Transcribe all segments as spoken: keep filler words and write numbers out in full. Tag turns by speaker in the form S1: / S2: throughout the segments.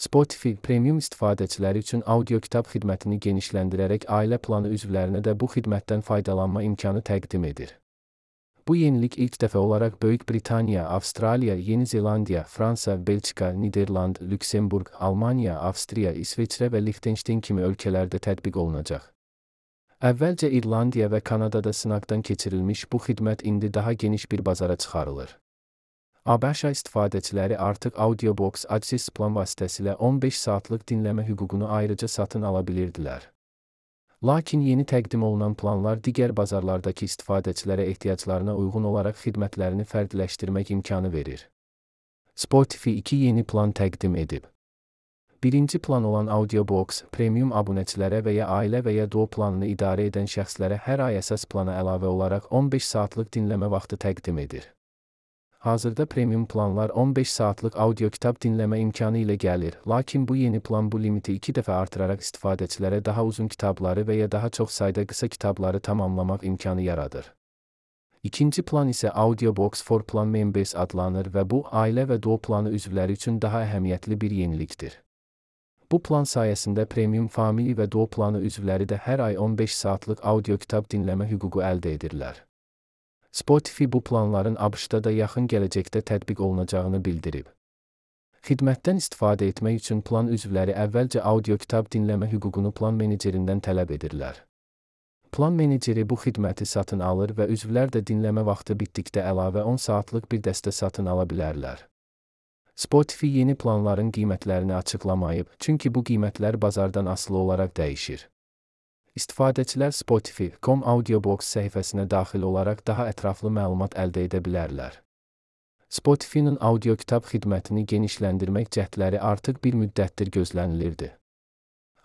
S1: Spotify, premium istifadəçiləri üçün audio kitab xidmətini genişləndirərək ailə planı üzvlərinə də bu xidmətdən faydalanma imkanı təqdim edir. Bu yenilik ilk dəfə olaraq Böyük Britaniya, Avstraliya, Yeni Zelandiya, Fransa, Belçika, Niderland, Lüksemburq, Almaniya, Avstriya, İsveçrə və Liechtenstein kimi ölkələrdə tətbiq olunacaq. Əvvəlcə İrlandiya və Kanadada sınaqdan keçirilmiş bu xidmət indi daha geniş bir bazara çıxarılır. ABŞ istifadəçiləri artıq Audiobox Access plan vasitəsilə on beş saatlıq dinləmə hüququnu ayrıca satın ala bilirdilər. Lakin yeni təqdim olunan planlar digər bazarlardakı istifadəçilərə ehtiyaclarına uyğun olaraq xidmətlərini fərqləşdirmək imkanı verir. Spotify iki yeni plan təqdim edib. Birinci plan olan Audiobox, premium abunəçilərə və ya ailə və ya doğu planını idarə edən şəxslərə hər ay əsas plana əlavə olaraq on beş saatlıq dinləmə vaxtı təqdim edir. Hazırda premium planlar on beş saatlıq audio kitab dinləmə imkanı ilə gəlir, lakin bu yeni plan bu limiti iki dəfə artıraraq istifadəçilərə daha uzun kitabları və ya daha çox sayda qısa kitabları tamamlamaq imkanı yaradır. İkinci plan isə Audiobox for Plan Members adlanır və bu, ailə və doğu planı üzvləri üçün daha əhəmiyyətli bir yenilikdir. Bu plan sayəsində premium family və doğu planı üzvləri də hər ay on beş saatlıq audio kitab dinləmə hüququ əldə edirlər. Spotify bu planların ABŞ-da da yaxın gələcəkdə tətbiq olunacağını bildirib. Xidmətdən istifadə etmək üçün plan üzvləri əvvəlcə audio kitab dinləmə hüququnu plan menecerindən tələb edirlər. Plan meneceri bu xidməti satın alır və üzvlər də dinləmə vaxtı bitdikdə əlavə on saatlıq bir dəstə satın ala bilərlər. Spotify yeni planların qiymətlərini açıqlamayıb, çünki bu qiymətlər bazardan asılı olaraq dəyişir. İstifadəçilər Spotify nöqtə com Audiobox səhifəsinə daxil olaraq daha ətraflı məlumat əldə edə bilərlər. Spotify-nin audio kitab xidmətini genişləndirmək cəhdləri artıq bir müddətdir gözlənilirdi.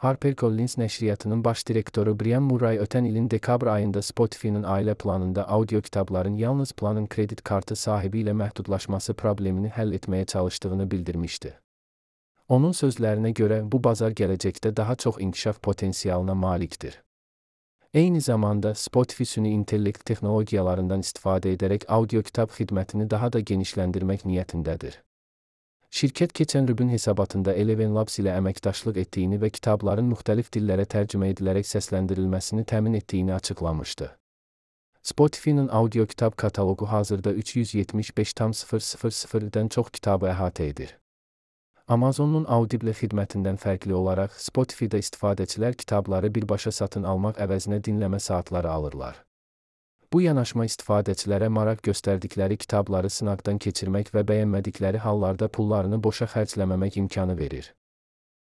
S1: HarperCollins nəşriyyatının baş direktoru Brian Murray ötən ilin dekabr ayında Spotify-nin ailə planında audio kitabların yalnız planın kredit kartı sahibi ilə məhdudlaşması problemini həll etməyə çalışdığını bildirmişdi. Onun sözlərinə görə bu bazar gələcəkdə daha çox inkişaf potensialına malikdir. Eyni zamanda Spotify süni intellekt texnologiyalarından istifadə edərək audio kitab xidmətini daha da genişləndirmək niyyətindədir. Şirkət keçən rübün hesabatında Eleven Labs ilə əməkdaşlıq etdiyini və kitabların müxtəlif dillərə tərcümə edilərək səsləndirilməsini təmin etdiyini açıqlamışdı. Spotify-nin audio kitab kataloqu hazırda üç yüz yetmiş beş min çox kitabı əhatə edir. Amazon'un Audible xidmətindən fərqli olaraq Spotify-da istifadəçilər kitabları birbaşa satın almaq əvəzinə dinləmə saatları alırlar. Bu yanaşma istifadəçilərə maraq göstərdikləri kitabları sınaqdan keçirmək və bəyənmədikləri hallarda pullarını boşa xərcləməmək imkanı verir.